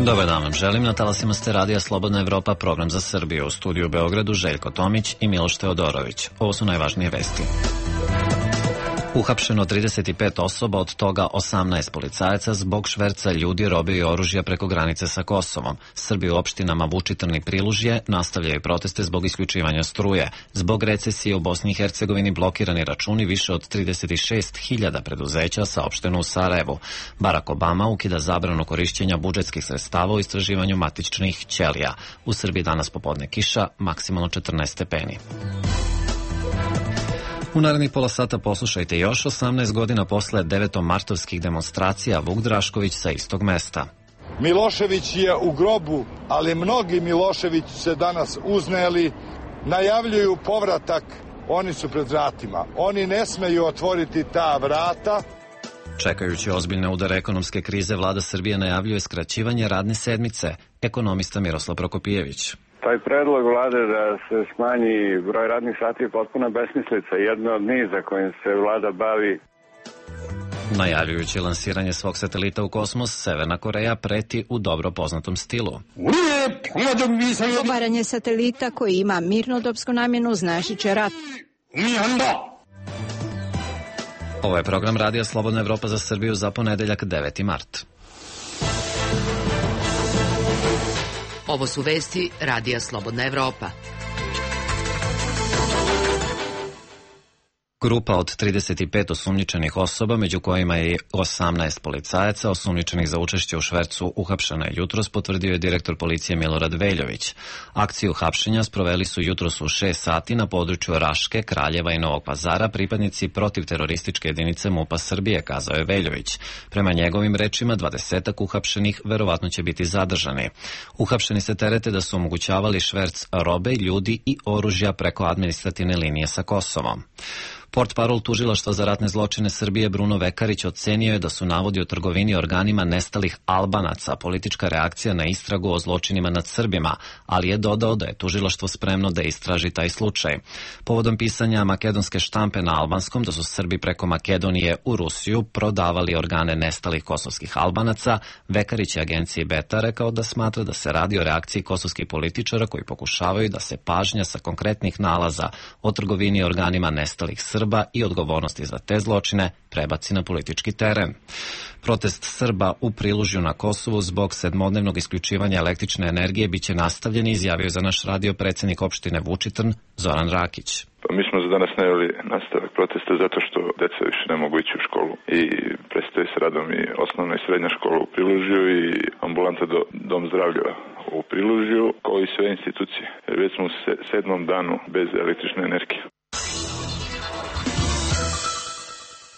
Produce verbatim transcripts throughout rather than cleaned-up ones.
Dobar dan vam želim, na talasima ste Radija Slobodna Evropa, program za Srbiju. U studiju u Beogradu Željko Tomić i Miloš Teodorović. Ovo su najvažnije vesti. Uhapšeno trideset pet osoba, od toga osamnaest policajaca zbog šverca ljudi, robe i oružja preko granice sa Kosovom. Srbi u opštinama Vučitrn i Prilužje nastavljaju proteste zbog isključivanja struje. Zbog recesije u Bosni i Hercegovini blokirani računi više od trideset šest hiljada preduzeća, saopšteno u Sarajevu. Barack Obama ukida zabranu korišćenja budžetskih sredstava u istraživanju matičnih ćelija. U Srbiji danas popodne kiša, maksimalno četrnaest stepeni. U narednih pola sata poslušajte još osamnaest godina posle devetomartovskih demonstracija, Vuk Drašković sa istog mesta. Milošević je u grobu, ali mnogi Milošević se danas uzneli, najavljuju povratak, oni su pred vratima. Oni ne smeju otvoriti ta vrata. Čekajući ozbiljne udare ekonomske krize, vlada Srbije najavljuje skraćivanje radne sedmice. Ekonomista Miroslav Prokopijević. Taj predlog vlade da se smanji broj radnih sati je potpuna besmislica, jedna od niza kojim se vlada bavi. Najavljujući lansiranje svog satelita u kosmos, Severna Koreja preti u dobro poznatom stilu. Obaranje satelita koji ima mirnodopsku namjenu značit će rat. Ovo je program Radija Slobodna Evropa za Srbiju za ponedeljak deveti mart. Ovo su vesti Radija Slobodna Evropa. Grupa od trideset pet osumnjičenih osoba, među kojima je osamnaest policajaca, osumnjičenih za učešće u švercu, uhapšena je jutros, potvrdio je direktor policije Milorad Veljović. Akciju hapšenja sproveli su jutros u šest sati na području Raške, Kraljeva i Novog Pazara pripadnici protivterorističke jedinice MUP-a Srbije, kazao je Veljović. Prema njegovim rečima, dvadesetak uhapšenih verovatno će biti zadržani. Uhapšeni se terete da su omogućavali šverc robe, ljudi i oružja preko administrativne linije sa Kosovom. Portparol tužilaštva za ratne zločine Srbije Bruno Vekarić ocenio je da su navodi o trgovini organima nestalih Albanaca politička reakcija na istragu o zločinima nad Srbima, ali je dodao da je tužilaštvo spremno da istraži taj slučaj. Povodom pisanja makedonske štampe na albanskom da su Srbi preko Makedonije u Rusiju prodavali organe nestalih kosovskih Albanaca, Vekarić je agenciji Beta rekao da smatra da se radi o reakciji kosovskih političara koji pokušavaju da se pažnja sa konkretnih nalaza o trgovini organima nestalih Srba Srba i odgovornosti za te zločine prebaci na politički teren. Protest Srba u Prilužju na Kosovu zbog sedmodnevnog isključivanja električne energije biće nastavljen, izjavio za naš radio predsjednik opštine Vučitrn Zoran Rakić. Pa mi smo za danas najavili nastavak protesta zato što deca više ne mogu ići u školu i prestaje s radom i osnovna i srednja škola u Prilužju i ambulanta do dom zdravlja u Prilužju, kao i sve institucije. Već smo u sedmom danu bez električne energije.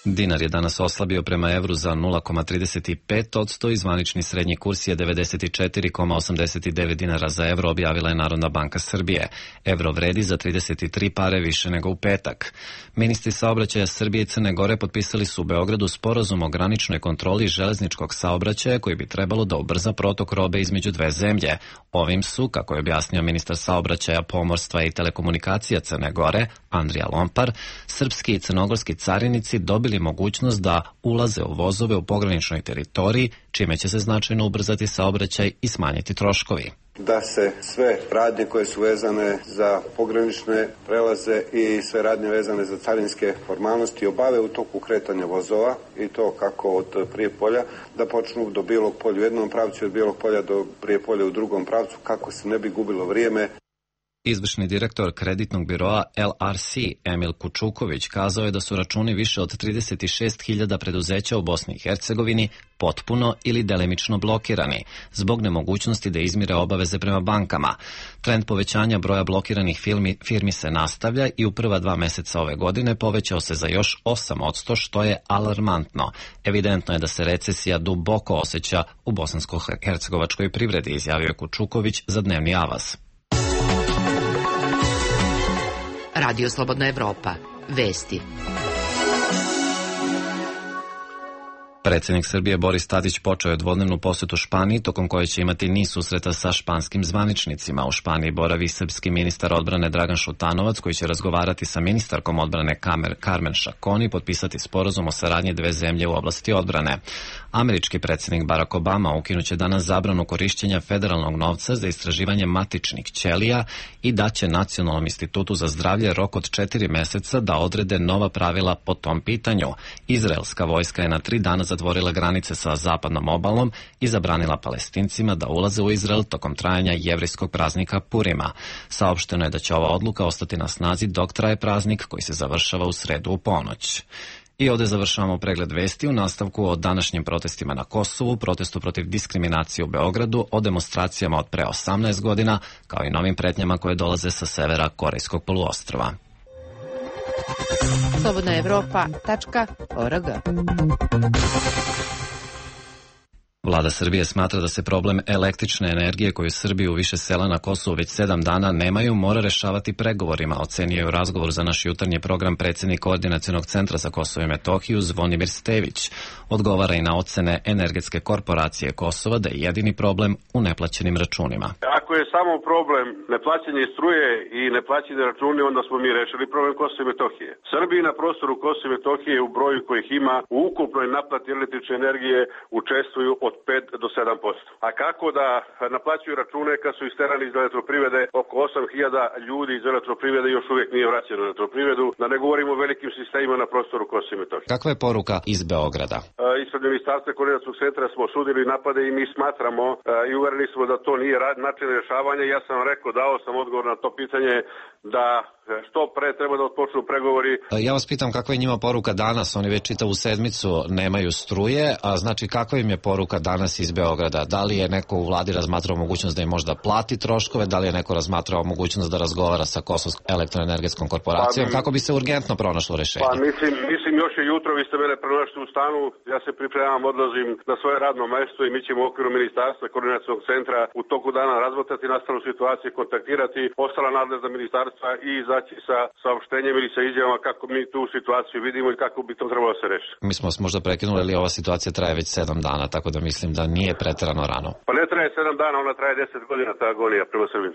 Dinar je danas oslabio prema evru za nula zarez trideset pet posto i zvanični srednji kurs je devedeset četiri zarez osamdeset devet dinara za evro, objavila je Narodna banka Srbije. Evro vredi za trideset tri pare više nego u petak. Ministri saobraćaja Srbije i Crne Gore potpisali su u Beogradu sporazum o graničnoj kontroli železničkog saobraćaja koji bi trebalo da ubrza protok robe između dve zemlje. Ovim su, kako je objasnio ministar saobraćaja, pomorstva i telekomunikacija Crne Gore, Andrija Lompar, srpski i crnogorski carinici dobili mogućnost da ulaze u vozove u pograničnoj teritoriji, čime će se značajno ubrzati saobraćaj i smanjiti troškovi. Da se sve radnje koje su vezane za pogranične prelaze i sve radnje vezane za carinske formalnosti obave u toku kretanja vozova, i to kako od Prijepolja, da počnu do Bijelog Polja u jednom pravcu i od Bijelog Polja do Prijepolja u drugom pravcu, kako se ne bi gubilo vrijeme. Izvršni direktor kreditnog biroa L R C Emil Kučuković kazao je da su računi više od trideset šest hiljada preduzeća u Bosni i Hercegovini potpuno ili delimično blokirani zbog nemogućnosti da izmire obaveze prema bankama. Trend povećanja broja blokiranih firmi, firmi se nastavlja i u prva dva meseca ove godine povećao se za još osam posto, što je alarmantno. Evidentno je da se recesija duboko osjeća u bosansko-hercegovačkoj privredi, izjavio je Kučuković za Dnevni Avaz. Radio Slobodna Evropa. Vesti. Predsjednik Srbije Boris Tadić počeo je dvodnevnu posetu Španiji, tokom koje će imati niz susreta sa španskim zvaničnicima. U Španiji boravi srpski ministar odbrane Dragan Šutanovac, koji će razgovarati sa ministarkom odbrane Carmen Chacón i potpisati sporazum o saradnji dve zemlje u oblasti odbrane. Američki predsjednik Barack Obama ukinuće danas zabranu korišćenja federalnog novca za istraživanje matičnih ćelija i daće Nacionalnom institutu za zdravlje rok od četiri meseca da odrede nova pravila po tom pitanju. Izraelska vojska je na tri dana zatvorila granice sa zapadnom obalom i zabranila Palestincima da ulaze u Izrael tokom trajanja jevrijskog praznika Purima. Saopšteno je da će ova odluka ostati na snazi dok traje praznik koji se završava u sredu u ponoć. I ovdje završavamo pregled vesti u nastavku o današnjim protestima na Kosovu, protestu protiv diskriminacije u Beogradu, o demonstracijama od pre osamnaest godina, kao i novim pretnjama koje dolaze sa severa Korejskog poluostrva. slobodna evropa tačka org. Vlada Srbije smatra da se problem električne energije koju Srbiju u više sela na Kosovu već sedam dana nemaju mora rešavati pregovorima, ocenio je u razgovoru za naš jutarnji program predsjednik Koordinacionog centra za Kosovo i Metohiju Zvonimir Stević. Odgovara i na ocene Energetske korporacije Kosova da je jedini problem u neplaćenim računima. Ako je samo problem neplaćanje struje i neplaćanje računi, onda smo mi rešili problem Kosova i Metohije. Srbiji na prostoru Kosova i Metohije u broju kojih ima u ukupnoj naplati električne energije učestvuju od pet do sedam posto. A kako da naplaćuju račune kad su isterani iz elektroprivrede? Oko osam hiljada ljudi iz elektroprivrede još uvijek nije vraćeno u elektroprivredu, da ne govorimo o velikim sistemima na prostoru Kosova i Metohije. Kakva je poruka iz Beograda? E, ispred Ministarstva Koordinacionog centra smo osudili napade i mi smatramo e, i uvereni smo da to nije rad, način rješavanja. Ja sam rekao, dao sam odgovor na to pitanje da što pre treba da otpočnu pregovori. Ja vas pitam kakva je njima poruka danas, oni već čitavu sedmicu nemaju struje, a znači kakva im je poruka danas iz Beograda? Da li je neko u vladi razmatrao mogućnost da im možda plati troškove, da li je neko razmatrao mogućnost da razgovara sa Kosovskom elektroenergetskom korporacijom, pa, kako bi se urgentno pronašlo rešenje? Pa mislim, mislim još je jutro, vi ste mene pronašli u stanu, ja se pripremam, odlazim na svoje radno mesto i mi ćemo u okviru Ministarstva Koordinacionog centra u toku dana razmotrati nastalu situaciju, kontaktirati ostala nadležna ministarstva i izaći sa saopštenjem ili sa izjavama kako mi tu situaciju vidimo i kako bi to trebalo se rešiti. Mi smo možda prekinuli, ali ova situacija traje već sedam dana, tako da mislim da nije preterano rano. Pa ne traje sedam dana, ona traje deset godina, ta agonija prema Srbiji.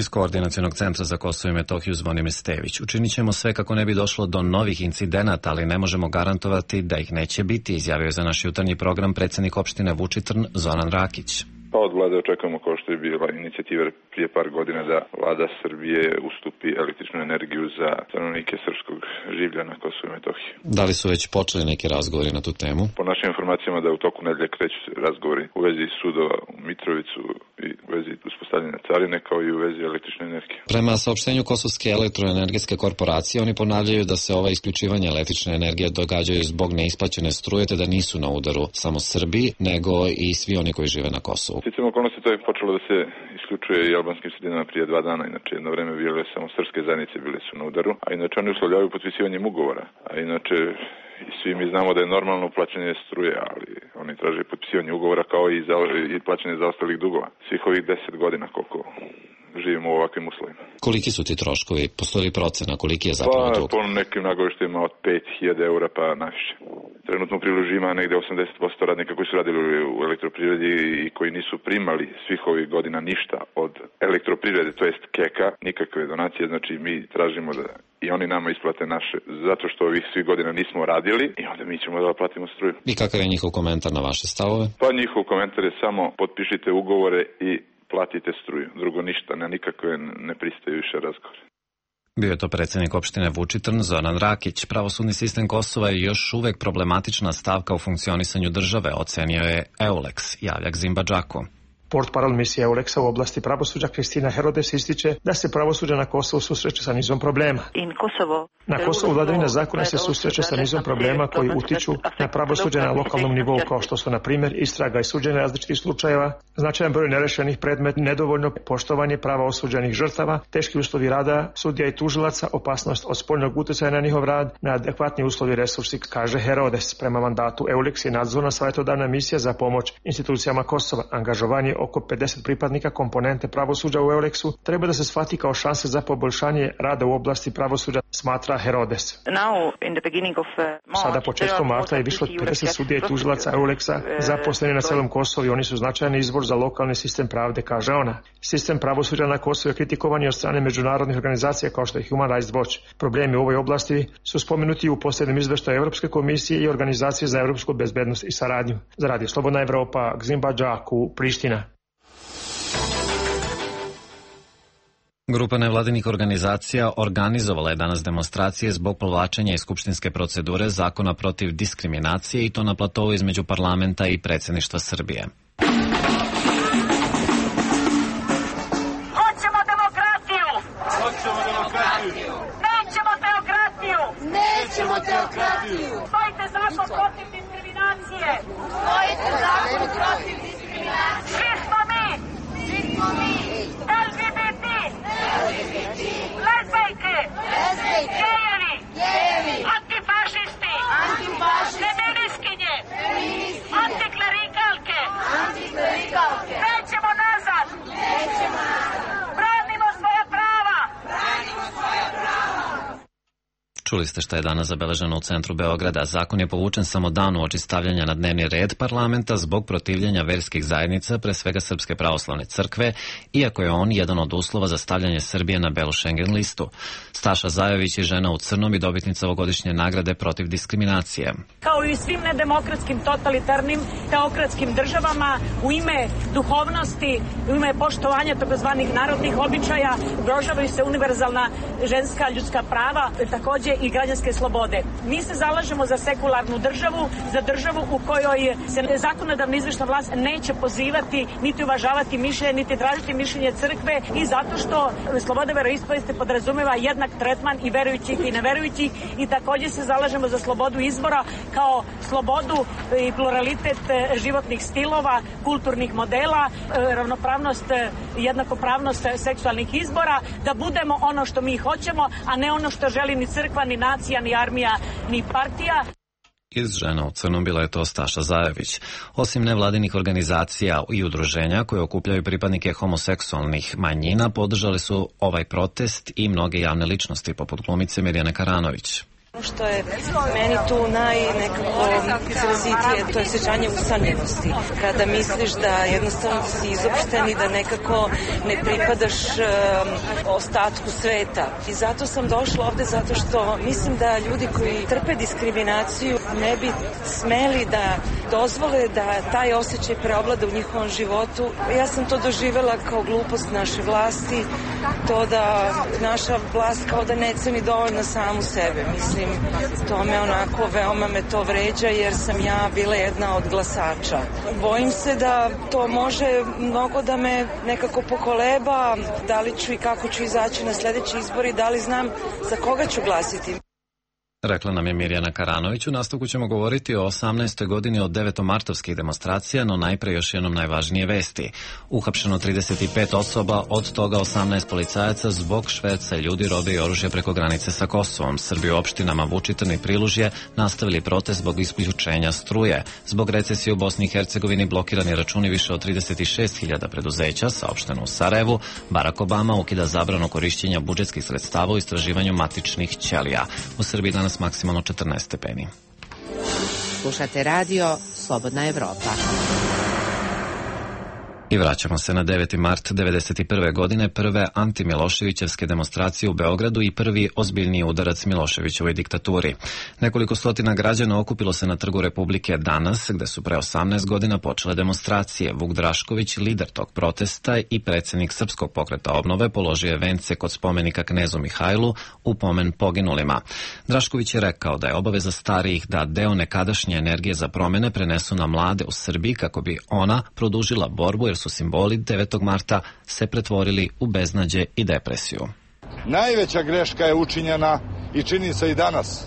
Iz Koordinacionog centra za Kosovo i Metohiju Zvonimir Stević. Učinit ćemo sve kako ne bi došlo do novih incidenata, ali ne možemo garantovati da ih neće biti, izjavio za naš jutarnji program predsjednik opštine Vučitrn Zoran Rakić. Pa od vlade očekujemo, kao što je bila inicijativa prije par godina, da vlada Srbije ustupi električnu energiju za stanovnike srpskog življa na Kosovu i Metohiji. Da li su već počeli neki razgovori na tu temu? Po našim informacijama da u toku nedelje kreću razgovori u vezi sudova u Mitrovicu i u vezi uspostavljanja carine, kao i u vezi električne energije. Prema saopštenju Kosovske elektroenergetske korporacije, oni ponavljaju da se ova isključivanja električne energije događaju zbog neisplaćene struje, te da nisu na udaru samo Srbi, nego i svi oni koji žive na Kosovu. Sticam okolnosti, to je počelo da se isključuje i albanskim sredinama prije dva dana, inače jedno vreme bile samo srpske zajednice bile su na udaru, a inače oni uslovljavaju potpisivanjem ugovora, a inače i svi mi znamo da je normalno plaćanje struje, ali oni traže potpisivanje ugovora kao i, za, i plaćanje zaostalih dugova. Svih ovih deset godina koliko živimo u ovakvim uslovima. Koliki su ti troškovi? Postoji li procena? Koliki je zapravo pa, dug? Po nekim nagoveštajima od pet hiljada eura pa naviše. Trenutno u priložu ima negde osamdeset posto radnika koji su radili u elektroprivredi i koji nisu primali svih ovih godina ništa od elektroprivrede, to jest Keka, nikakve donacije, znači mi tražimo da i oni nama isplate naše, zato što ovih svih godina nismo radili i onda mi ćemo da platimo struju. I kakav je njihov komentar na vaše stavove? Pa njihov komentar je samo potpišite ugovore i platite struju. Drugo ništa, na nikakve ne pristaju više razgovore. Bio je to predsjednik opštine Vučitrn Zoran Rakić. Pravosudni sistem Kosova je još uvek problematična stavka u funkcionisanju države, ocenio je Eulex, javljak Zimbabđaku. Portparol misije Euleksa u oblasti pravosuđa Kristina Herodes ističe da se pravosuđe na Kosovu susreće sa nizom problema. Na Kosovu vladavina zakona se susreće sa nizom problema koji utiču na pravosuđe na lokalnom nivou, kao što su na primjer istraga i suđenje različitih slučajeva, značajan broj nerešenih predmeta, nedovoljno poštovanje prava osuđenih žrtava, teški uslovi rada sudija i tužilaca, opasnost od spoljnog utjecaja na njihov rad, neadekvatni uslovi resursi, kaže Herodes. Prema mandatu Eulex je nadzorna savjetodavna misija za pomoć institucijama Kosova, angažovanje oko pedeset pripadnika komponente pravosuđa u Euleksu treba da se shvati kao šanse za poboljšanje rada u oblasti pravosuđa, smatra Herodes. Sada početkom marta je više od pedeset sudija i tužilaca Euleksa zaposleni na celom Kosovu i oni su značajni izbor za lokalni sistem pravde, kaže ona. Sistem pravosuđa na Kosovu je kritikovan i od strane međunarodnih organizacija kao što je Human Rights Watch. Problemi u ovoj oblasti su spomenuti u posljednjem izveštaju Evropske komisije i Organizacije za evropsku bezbednost i saradnju. Za Radio Slobodna Evropa, Gzimba Džaku, Priština. Grupa nevladinih organizacija organizovala je danas demonstracije zbog povlačenja iz skupštinske procedure zakona protiv diskriminacije i to na platovu između parlamenta i predsjedništva Srbije. Hoćemo demokratiju! Hoćemo demokratiju! Nećemo teokratiju! Nećemo teokratiju! Stojite zakon protiv diskriminacije! Stojite zakon protiv diskriminacije! Svi smo mi! Svi smo mi! L G B T! Lezbejke! Lezbejke! Gejevi! Gejevi! Antifašisti! Antifašisti! Feministkinje! Feministkinje! Antiklerikalke! Antiklerikalke! Nećemo nazad! Nećemo nazad! Branimo svoja prava! Branimo svoja prava! Čuli ste šta je danas zabeleženo u centru Beograda. Zakon je povučen samo dan uoči stavljanja na dnevni red parlamenta zbog protivljenja verskih zajednica, pre svega Srpske pravoslavne crkve, iako je on jedan od uslova za stavljanje Srbije na belu Schengen listu. Staša Zajović je žena u crnom i dobitnica ovogodišnje nagrade protiv diskriminacije. Kao i svim nedemokratskim, totalitarnim, teokratskim državama, u ime duhovnosti, u ime poštovanja takozvanih narodnih običaja, ugrožavaju se univerzalna ženska ljudska prava, takođe i građanske slobode. Mi se zalažemo za sekularnu državu, za državu u kojoj se zakonodavna izvršna vlast neće pozivati, niti uvažavati mišljenje, niti tražiti mišljenje crkve i zato što sloboda veroispovesti podrazumeva jednak tretman i verujućih i neverujućih i takođe se zalažemo za slobodu izbora kao slobodu i pluralitet životnih stilova, kulturnih modela, ravnopravnost, jednakopravnost seksualnih izbora, da budemo ono što mi hoćemo, a ne ono što želi ni crkva, ni nacija, ni armija, ni partija. Iz žena u crnom bila je to Staša Zajović. Osim nevladinih organizacija i udruženja koje okupljaju pripadnike homoseksualnih manjina, podržali su ovaj protest i mnoge javne ličnosti, poput glumice Mirjane Karanović. Ono što je meni tu najnekako izrazitije, to je osjećanje usamljenosti. Kada misliš da jednostavno si izopšten i da nekako ne pripadaš um, ostatku sveta. I zato sam došla ovde, zato što mislim da ljudi koji trpe diskriminaciju ne bi smeli da dozvole da taj osjećaj preovlada u njihovom životu. Ja sam to doživela kao glupost naše vlasti, to da naša vlast kao da ne ceni dovoljno samu sebe. Mislim, to me onako, veoma me to vređa jer sam ja bila jedna od glasača. Bojim se da to može mnogo da me nekako pokoleba, da li ću i kako ću izaći na sledeći izbor i da li znam za koga ću glasiti. Rekla nam je Mirjana Karanović. U nastavku ćemo govoriti o osamnaestoj godini od devetomartovskih demonstracija, no najpre još jednom najvažnije vesti. Uhapšeno trideset pet osoba, od toga osamnaest policajaca zbog šverca ljudi, robe i oružja preko granice sa Kosovom. Srbi u opštinama Vučitrn i Prilužje nastavili protest zbog isključenja struje. Zbog recesije u Bosni i Hercegovini blokirani računi više od trideset šest hiljada preduzeća, saopšteno u Sarajevu. Barack Obama ukida zabranu korišćenja budžetskih sredstava u istraživanju matičnih ćelija. U Srbiji danas maksimalno četrnaest stepeni. Slušate radio Slobodna Evropa. I vraćamo se na deveti mart devedeset prve godine, prve antimiloševićevske demonstracije u Beogradu i prvi ozbiljniji udarac Miloševićevoj diktaturi. Nekoliko stotina građana okupilo se na Trgu Republike danas, gde su pre osamnaest godina počele demonstracije. Vuk Drašković, lider tog protesta i predsjednik Srpskog pokreta obnove, položio je vence kod spomenika knezu Mihajlu u pomen poginulima. Drašković je rekao da je obaveza starijih da deo nekadašnje energije za promene prenesu na mlade u Srbiji kako bi ona produžila borbu, jer su simboli devetog marta se pretvorili u beznađe i depresiju. Najveća greška je učinjena i čini se i danas,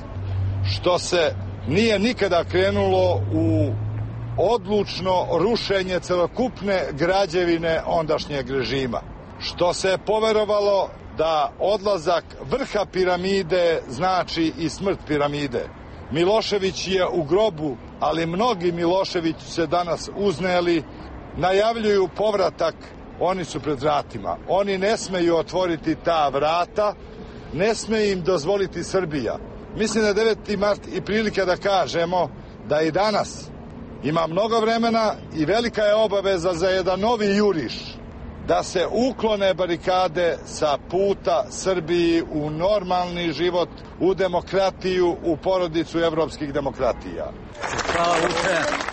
što se nije nikada krenulo u odlučno rušenje celokupne građevine ondašnjeg režima, što se je poverovalo da odlazak vrha piramide znači i smrt piramide. Milošević je u grobu, ali mnogi Milošević se danas uzneli, najavljuju povratak, oni su pred vratima. Oni ne smeju otvoriti ta vrata, ne sme im dozvoliti Srbija. Mislim da deveti mart i prilika da kažemo da i danas ima mnogo vremena i velika je obaveza za jedan novi juriš da se uklone barikade sa puta Srbiji u normalni život, u demokratiju, u porodicu evropskih demokratija. Hvala, Vuče.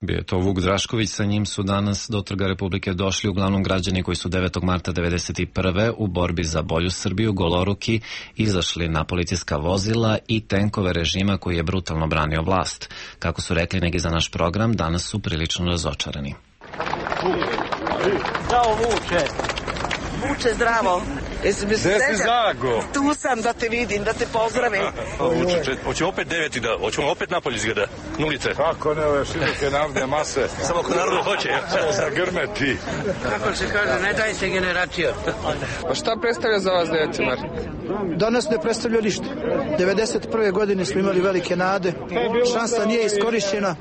Bio je to Vuk Drašković, sa njim su danas do Trga Republike došli uglavnom građani koji su devetog marta devedeset prve u borbi za bolju Srbiju goloruki izašli na policijska vozila i tenkove režima koji je brutalno branio vlast. Kako su rekli neki za naš program, danas su prilično razočarani. Zdravo, Vuče. Vuče, zdravo. Jesi mi se Zago? Tu sam da te vidim, da te pozdravim. Vuče, hoćemo opet deveti da, hoćemo opet napolje izgleda, nulice. Kako ne, ove široke navde mase. Samo ako narodu hoće. Zagrmeti. Kako se kaže, ne daj se generacija. A šta predstavlja za vas deveti mart? Danas ne predstavlja ništa. devedeset prve godine smo imali velike nade. Šansa nije iskorišćena.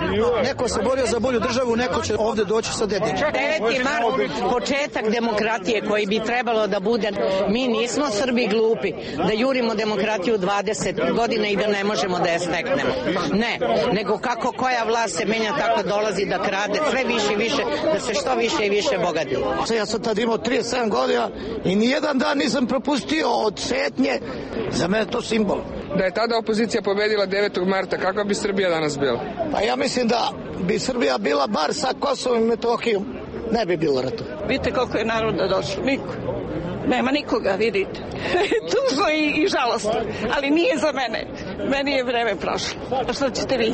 Neko se borio za bolju državu, neko će ovde doći sa dedinom. deveti mart, početak demokratije koji bi trebalo da bude. Mi nismo Srbi glupi da jurimo demokratiju dvadeset godina i da ne možemo da je steknemo. Ne, nego kako koja vlast se menja, tako dolazi da krade sve više i više, da se što više i više bogati. Ja sam tad imao trideset sedam godina i nijedan dan nisam propustio od šetnje. Za mene to simbol. Da je tada opozicija pobedila devetog marta, kakva bi Srbija danas bila? Pa ja mislim da bi Srbija bila bar sa Kosovom i Metohijom. Ne bi bilo ratu. Vidite koliko je naroda došlo, niko. Nema nikoga, vidite. Tužno i, i žalostno, ali nije za mene. Meni je vreme prošlo. A što ćete vi?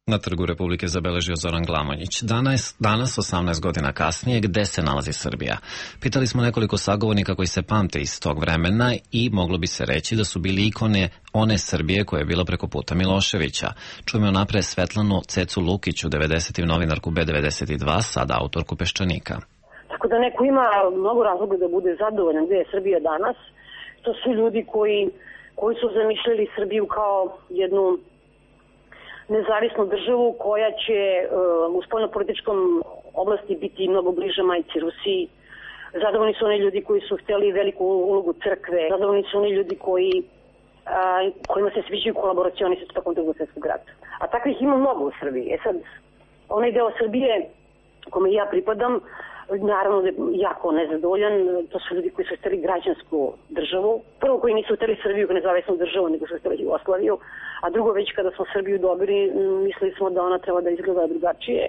Na Trgu Republike zabeležio Zoran Glamonjić. Danas, danas, osamnaest godina kasnije, gde se nalazi Srbija? Pitali smo nekoliko sagovornika koji se pamte iz tog vremena i moglo bi se reći da su bili ikone one Srbije koja je bila preko puta Miloševića. Čujemo napred Svetlanu Cecu Lukiću, devedesetim novinarku B devedeset dva, sada autorku Peščanika. Tako da neko ima mnogo razloga da bude zadovoljan gde je Srbija danas. To su ljudi koji, koji su zamišljali Srbiju kao jednu nezavisnu državu koja će uh, u spoljnopolitičkom oblasti biti mnogo bliža majci Rusiji. Zadovoljni su oni ljudi koji su hteli veliku ulogu crkve. Zadovoljni su oni ljudi koji, uh, kojima se sviđaju kolaboracioni sa tokom drugog svjetskog rata. A takvih ima mnogo u Srbiji. E sad, onaj deo Srbije kome ja pripadam, naravno da je jako nezadovoljan. To su ljudi koji su hteli građansku državu. Prvo koji nisu hteli Srbiju kao nezavisnu državu, nego su hteli Jugoslaviju. A drugo, već kada smo Srbiju dobili, mislili smo da ona treba da izgleda drugačije.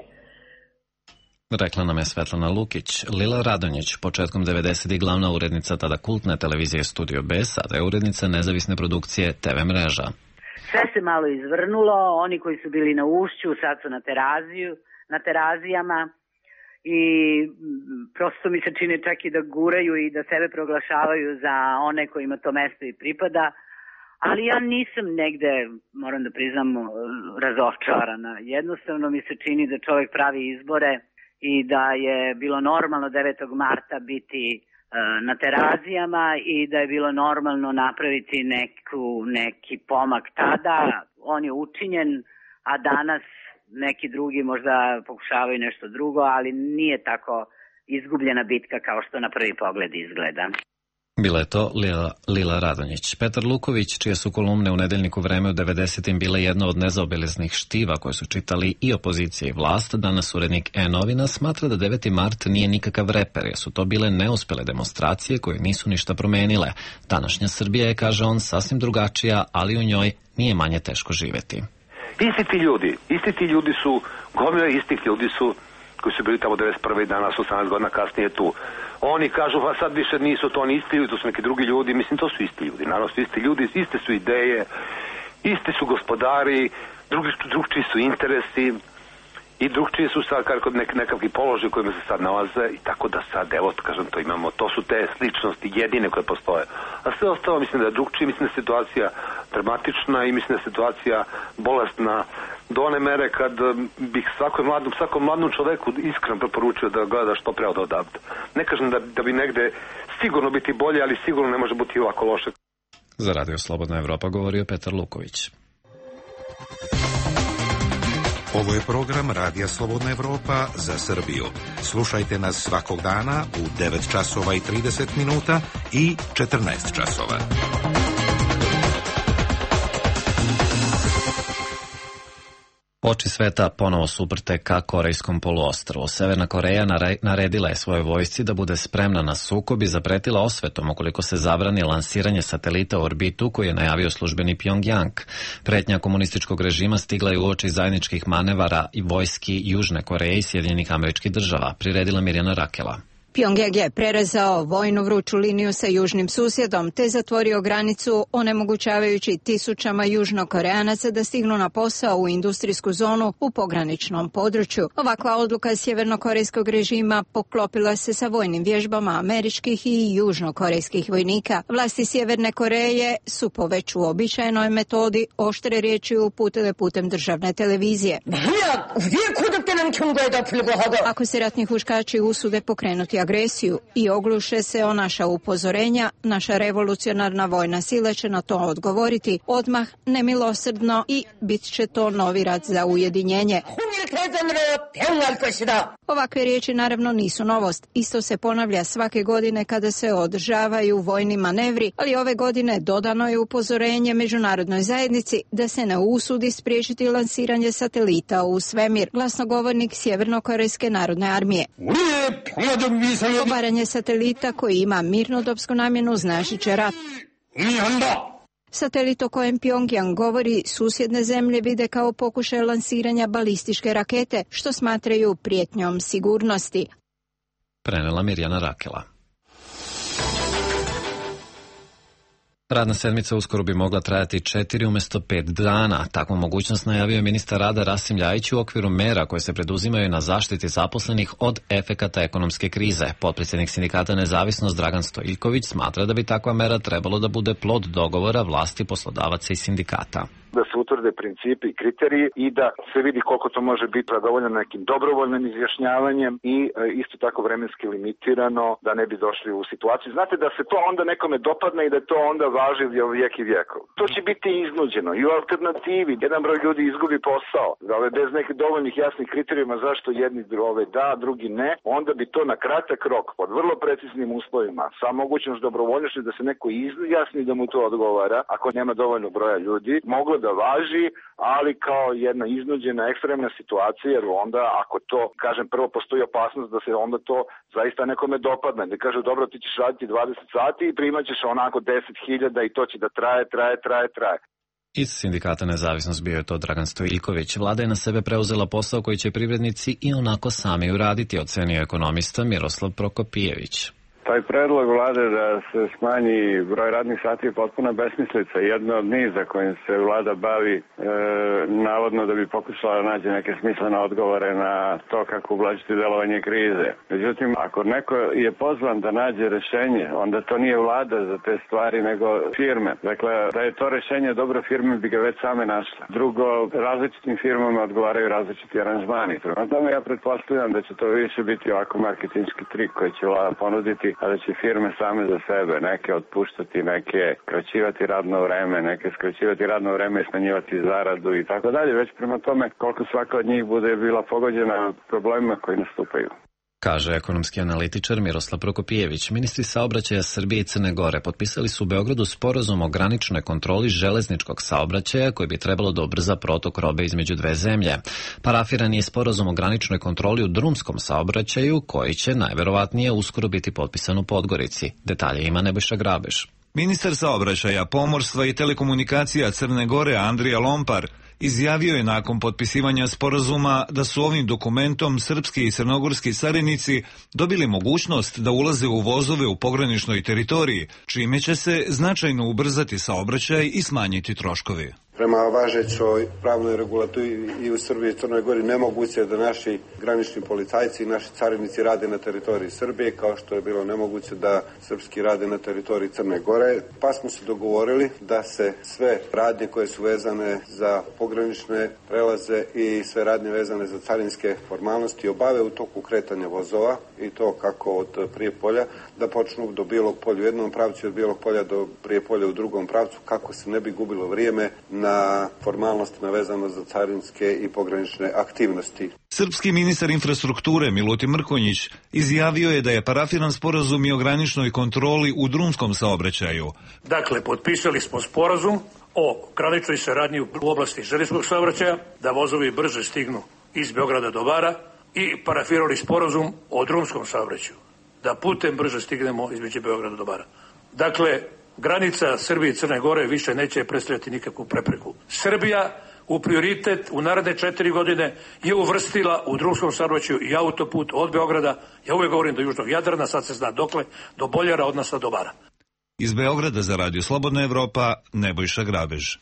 Rekla nam je Svetlana Lukić. Lila Radonjić, početkom devedesetih glavna urednica tada kultne televizije Studio B, sada je urednica nezavisne produkcije T V mreža. Sve se malo izvrnulo, oni koji su bili na ušću sad su na teraziju, na terazijama. I prosto mi se čini čak i da guraju i da sebe proglašavaju za one kojima to mesto i pripada, ali ja nisam negde, moram da priznam, razočarana. Jednostavno mi se čini da čovjek pravi izbore i da je bilo normalno devetog marta biti na terazijama i da je bilo normalno napraviti neku, neki pomak tada. On je učinjen, a danas neki drugi možda pokušavaju nešto drugo, ali nije tako izgubljena bitka kao što na prvi pogled izgleda. Bila je to Lila, Lila Radonjić. Petar Luković, čije su kolumne u Nedeljniku Vreme u devedesetim bile jedna od nezaobilaznih štiva koje su čitali i opozicija i vlast, danas urednik E-novina smatra da deveti mart nije nikakav reper, jer su to bile neuspele demonstracije koje nisu ništa promenile. Današnja Srbija je, kaže on, sasvim drugačija, ali u njoj nije manje teško živeti. Isti ti ljudi, isti ti ljudi su, gomile istih ljudi su, koji su bili tamo devedeset prve i danas, osamnaest godina kasnije tu. Oni kažu, pa sad više nisu to oni isti ljudi, to su neki drugi ljudi, mislim, to su isti ljudi, naravno su isti ljudi, iste su ideje, isti su gospodari, drugi, drugčiji su interesi i drugčiji su sad kod nek, nekakvi položaj u kojima se sad nalaze i tako da sad, evo, kažem, to imamo, to su te sličnosti jedine koje postoje. A sve ostalo mislim da je drugčiji, mislim da je situacija dramatična i mislim da je situacija bolestna do one mere kad bih svakom mladom, svakom mladom čoveku iskreno preporučio da gleda što pre od odavde. Ne kažem da, da bi negde sigurno biti bolje, ali sigurno ne može biti ovako loše. Za Radio Slobodna Evropa govorio Petar Luković. Ovo je program Radija Slobodna Evropa za Srbiju. Slušajte nas svakog dana u devet časova i trideset minuta i četrnaest časova. Oči sveta ponovo su uprte ka Korejskom poluostrvu. Severna Koreja naredila je svojoj vojsci da bude spremna na sukob i zapretila osvetom ukoliko se zabrani lansiranje satelita u orbitu koji je najavio službeni Pjongjang. Pretnja komunističkog režima stigla je uoči zajedničkih manevara i vojski Južne Koreje i Sjedinjenih Američkih Država, priredila Mirjana Rakela. Pjongjang je prerezao vojnu vruću liniju sa južnim susjedom te zatvorio granicu, onemogućavajući tisućama južnokoreanaca da stignu na posao u industrijsku zonu u pograničnom području. Ovakva odluka sjevernokorejskog režima poklopila se sa vojnim vježbama američkih i južnokorejskih vojnika. Vlasti Sjeverne Koreje su po već uobičajenoj metodi oštre riječi uputile putem državne televizije. Ako se ratni huškači usude pokrenuti agresiju i ogluše se o naša upozorenja, naša revolucionarna vojna sila će na to odgovoriti odmah, nemilosrdno i bit će to novi rat za ujedinjenje. Ovakve riječi naravno nisu novost. Isto se ponavlja svake godine kada se održavaju vojni manevri, ali ove godine dodano je upozorenje međunarodnoj zajednici da se ne usudi spriječiti lansiranje satelita u svemir. Glasnogovornik Sjevernokorejske narodne armije. Obaranje satelita koji ima mirnodopsku namjenu značit će rat. Satelit o kojem Pjongjang govori susjedne zemlje vide kao pokušaj lansiranja balističke rakete, što smatraju prijetnjom sigurnosti. Prenela Mirjana Rakela. Radna sedmica uskoro bi mogla trajati četiri umjesto pet dana. Takvu mogućnost najavio je ministar rada Rasim Ljajić u okviru mera koje se preduzimaju na zaštiti zaposlenih od efekata ekonomske krize. Potpredsjednik sindikata Nezavisnost Dragan Stojiljković smatra da bi takva mera trebalo da bude plod dogovora vlasti, poslodavaca i sindikata. Da se utvrde principi i kriteriji i da se vidi koliko to može biti zadovoljeno nekim dobrovoljnim izjašnjavanjem i e, isto tako vremenski limitirano da ne bi došli u situaciju. Znate da se to onda nekome dopadne i da to onda važi vijek i vijekov. To će biti iznuđeno i u alternativi. Jedan broj ljudi izgubi posao, ove bez nekih dovoljnih jasnih kriterijuma zašto jedni ove da, drugi ne, onda bi to na kratak rok pod vrlo preciznim uslovima sa mogućnost dobrovoljnošću da se neko izjasni da mu to odgovara ako nema dovoljno broja ljudi, moglo da važi, ali kao jedna iznuđena ekstremna situacija, jer onda ako to, kažem, prvo postoji opasnost da se onda to zaista nekome dopadne, da kaže dobro ti ćeš raditi dvadeset sati i primat ćeš onako deset hiljada i to će da traje, traje, traje, traje. Iz sindikata Nezavisnost bio je to Dragan Stojiljković. Vlada je na sebe preuzela posao koji će privrednici i onako sami uraditi, ocenio ekonomista Miroslav Prokopijević. Taj predlog vlade da se smanji broj radnih sati je potpuna besmislica. Jedno od niza kojim se vlada bavi e, navodno da bi pokušala da nađe neke smislene odgovore na to kako ublažiti delovanje krize. Međutim, ako neko je pozvan da nađe rešenje, onda to nije vlada za te stvari, nego firme. Dakle, da je to rešenje dobro, firme bi ga već same našle. Drugo, različitim firmama odgovaraju različiti aranžmani. Prema tome ja pretpostavljam da će to više biti ovako marketinški trik koji će vlada ponuditi, a da će firme same za sebe, neke otpuštati, neke skraćivati radno vreme, neke skraćivati radno vreme i smanjivati zaradu i tako dalje, već prema tome koliko svaka od njih bude bila pogođena problemima koji nastupaju. Kaže ekonomski analitičar Miroslav Prokopijević. Ministri saobraćaja Srbije i Crne Gore potpisali su u Beogradu sporazum o graničnoj kontroli železničkog saobraćaja koji bi trebalo da ubrza protok robe između dve zemlje. Parafiran je sporazum o graničnoj kontroli u drumskom saobraćaju koji će najverovatnije uskoro biti potpisan u Podgorici. Detalje ima Nebojša Grabeš. Ministar saobraćaja, pomorstva i telekomunikacija Crne Gore Andrija Lompar izjavio je nakon potpisivanja sporazuma da su ovim dokumentom srpski i crnogorski carinici dobili mogućnost da ulaze u vozove u pograničnoj teritoriji, čime će se značajno ubrzati saobraćaj i smanjiti troškovi. Prema važećoj pravnoj regulativi i u Srbiji i Crnoj Gori nemoguće je da naši granični policajci i naši carinici rade na teritoriji Srbije, kao što je bilo nemoguće da srpski rade na teritoriji Crne Gore. Pa smo se dogovorili da se sve radnje koje su vezane za pogranične prelaze i sve radnje vezane za carinske formalnosti obave u toku kretanja vozova, i to kako od Prijepolja da počnu do Bijelog Polja u jednom pravcu i od Bijelog Polja do Prijepolja u drugom pravcu, kako se ne bi gubilo vrijeme na na formalnostima vezano za carinske i pogranične aktivnosti. Srpski ministar infrastrukture Milutin Mrkonjić izjavio je da je parafiran sporazum i o graničnoj kontroli u drumskom saobraćaju. Dakle, potpisali smo sporazum o graničnoj saradnji u oblasti željezničkog saobraćaja, da vozovi brže stignu iz Beograda do Bara, i parafirali sporazum o drumskom saobraćaju, da putem brže stignemo između Beograda do Bara. Dakle, granica Srbije i Crne Gore više neće predstavljati nikakvu prepreku. Srbija u prioritet u naredne četiri godine je uvrstila u drumskom saobraćaju i autoput od Beograda, ja uvijek govorim do Južnog Jadrana, sad se zna dokle, do Boljara, odnosno do Bara. Iz Beograda za Radio Slobodna Evropa, Nebojša Grabež.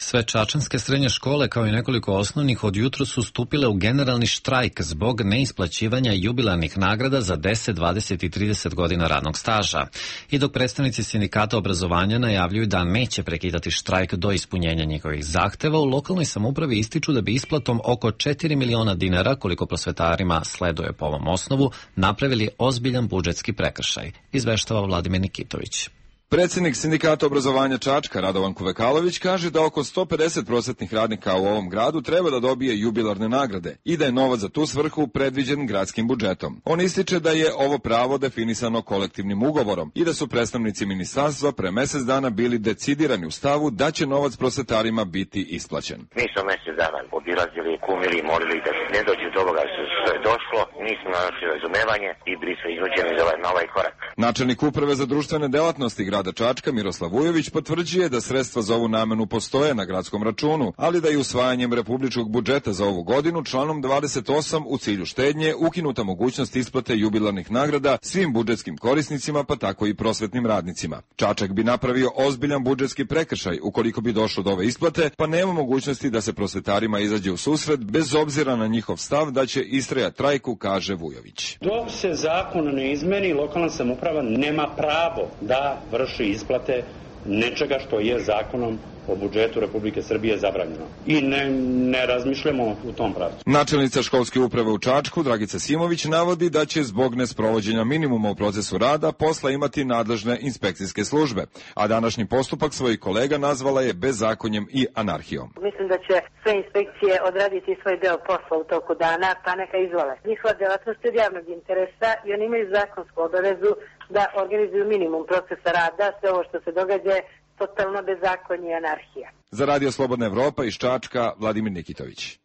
Sve čačanske srednje škole, kao i nekoliko osnovnih, od jutro su stupile u generalni štrajk zbog neisplaćivanja jubilarnih nagrada za deset, dvadeset i trideset godina radnog staža. I dok predstavnici sindikata obrazovanja najavljuju da neće prekidati štrajk do ispunjenja njihovih zahteva, u lokalnoj samoupravi ističu da bi isplatom oko četiri miliona dinara, koliko prosvetarima sleduje po ovom osnovu, napravili ozbiljan budžetski prekršaj, izveštava Vladimir Nikitović. Predsjednik sindikata obrazovanja Čačka, Radovan Kuvekalović, kaže da oko sto pedeset prosvetnih radnika u ovom gradu treba da dobije jubilarne nagrade i da je novac za tu svrhu predviđen gradskim budžetom. On ističe da je ovo pravo definisano kolektivnim ugovorom i da su predstavnici ministarstva pre mesec dana bili decidirani u stavu da će novac prosvetarima biti isplaćen. Mi smo mesec dana obilazili, kumili, molili da ne dođe do ovoga što je došlo, nismo našli razumevanje i bili smo iznuđeni za ovaj, na ovaj korak. Načelnik uprave za društvene delatnosti grada Čačka Miroslav Vujović potvrđuje da sredstva za ovu namenu postoje na gradskom računu, ali da je usvajanjem republičkog budžeta za ovu godinu članom dvadeset osam u cilju štednje ukinuta mogućnost isplate jubilarnih nagrada svim budžetskim korisnicima, pa tako i prosvetnim radnicima. Čačak bi napravio ozbiljan budžetski prekršaj ukoliko bi došlo do ove isplate, pa nema mogućnosti da se prosvetarima izađe u susret bez obzira na njihov stav da će istrajati trajku, kaže Vujović. Dok se zakon ne izmeni, lokalna samouprava nema pravo da vrši isplate nečega što je zakonom o budžetu Republike Srbije zabranjeno. I ne, ne razmišljamo u tom pravcu. Načelnica školske uprave u Čačku, Dragica Simović, navodi da će zbog nesprovođenja minimuma u procesu rada posla imati nadležne inspekcijske službe, a današnji postupak svojih kolega nazvala je bezakonjem i anarhijom. Mislim da će sve inspekcije odraditi svoj deo posla u toku dana, pa neka izvole. Njihova delatnost je od javnog interesa i oni imaju zakonsku obavezu da organizuju minimum procesa rada. Sve ovo što se događa je totalno bezakonje i anarhija. Za Radio Slobodna Evropa iz Čačka, Vladimir Nikitović.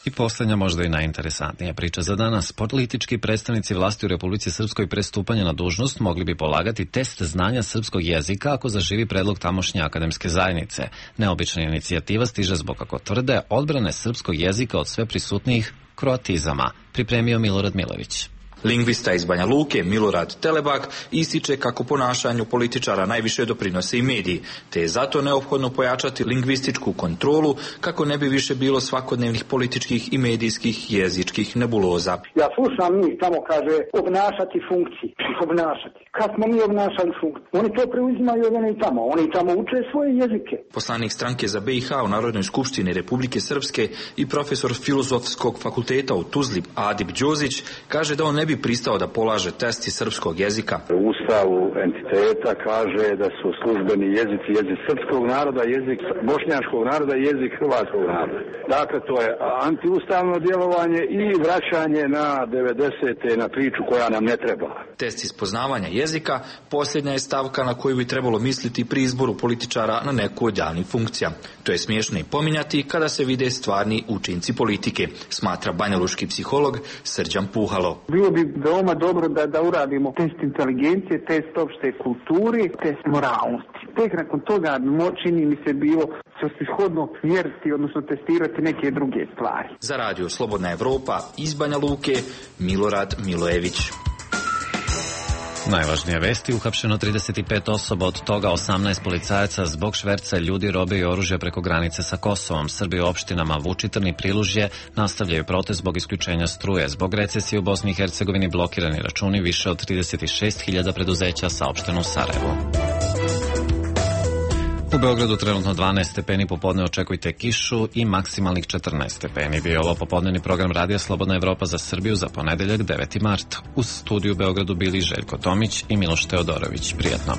I posljednja, možda i najinteresantnija priča za danas. Politički predstavnici vlasti u Republici Srpskoj pre stupanja na dužnost mogli bi polagati test znanja srpskog jezika ako zaživi predlog tamošnje akademske zajednice. Neobična inicijativa stiže zbog, kako tvrde, odbrane srpskog jezika od sve prisutnijih kroatizama. Pripremio Milorad Milović. Lingvista iz Banja Luke, Milorad Telebak, ističe kako ponašanju političara najviše doprinose i mediji, te je zato neophodno pojačati lingvističku kontrolu kako ne bi više bilo svakodnevnih političkih i medijskih jezičkih nebuloza. Ja slušam njih tamo kaže obnašati funkciji, obnašati. Kad smo mi obnašali funkciju? Oni to preuzimaju od oni tamo, oni tamo uče svoje jezike. Poslanik stranke za B i H u Narodnoj skupštini Republike Srpske i profesor Filozofskog fakulteta u Tuzli Adip Đozić kaže da on ne bi pristao da polaže test iz srpskog jezika. U Ustavu entiteta kaže da su službeni jezici jezik srpskog naroda, jezik bošnjačkog naroda i jezik hrvatskog naroda. Dakle, to je antiustavno djelovanje i vraćanje na devedesete na priču koja nam ne treba. Test iz poznavanja jezika posljednja je stavka na koju bi trebalo misliti pri izboru političara na neku od javnih funkcija. To je smiješno i pominjati kada se vide stvarni učinci politike, smatra banjaluški psiholog Srđan Puhalo. Bilo bi veoma dobro da, da uradimo test inteligencije, test opšte kulturi, test moralnosti. Tek nakon toga čini mi se bilo svrsishodno mjeriti, odnosno testirati neke druge stvari. Za Radio Slobodna Evropa iz Banja Luke, Milorad Milojević. Najvažnije vesti: uhapšeno trideset pet osoba, od toga osamnaest policajaca zbog šverca ljudi, robe i oružja preko granice sa Kosovom. Srbi u opštinama Vučitrn i Prilužje nastavljaju protest zbog isključenja struje. Zbog recesije u Bosni i Hercegovini blokirani računi više od trideset šest hiljada preduzeća, saopšteno u Sarajevu. U Beogradu trenutno dvanaest stepeni, popodne očekujte kišu i maksimalnih četrnaest stepeni. Bio je ovo popodnevni program Radija Slobodna Evropa za Srbiju za ponedeljak deveti mart. U studiju u Beogradu bili Željko Tomić i Miloš Teodorović. Prijetno.